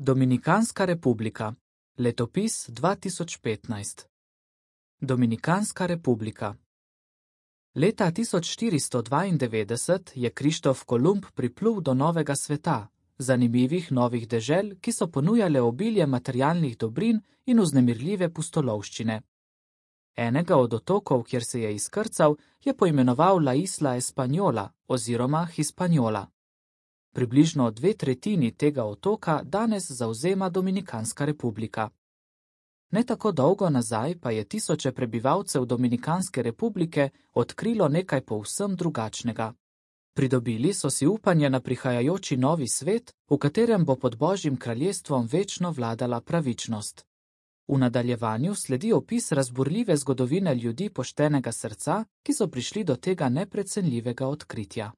Dominikanska republika. Letopis 2015. Dominikanska republika. Leta 1492 je Krištof Kolumb priplul do novega sveta, zanimivih novih dežel, ki so ponujale obilje materialnih dobrin in vznemirljive pustolovščine. Enega od otokov, kjer se je izkrcal, je poimenoval La Isla Española oziroma Hispaniola. Približno 2/3 tega otoka danes zavzema Dominikanska republika. Ne tako dolgo nazaj pa je tisoče prebivalcev Dominikanske republike odkrilo nekaj povsem drugačnega. Pridobili so si upanje na prihajajoči novi svet, v katerem bo pod Božjim kraljestvom večno vladala pravičnost. V nadaljevanju sledi opis razburljive zgodovine ljudi poštenega srca, ki so prišli do tega neprecenljivega odkritja.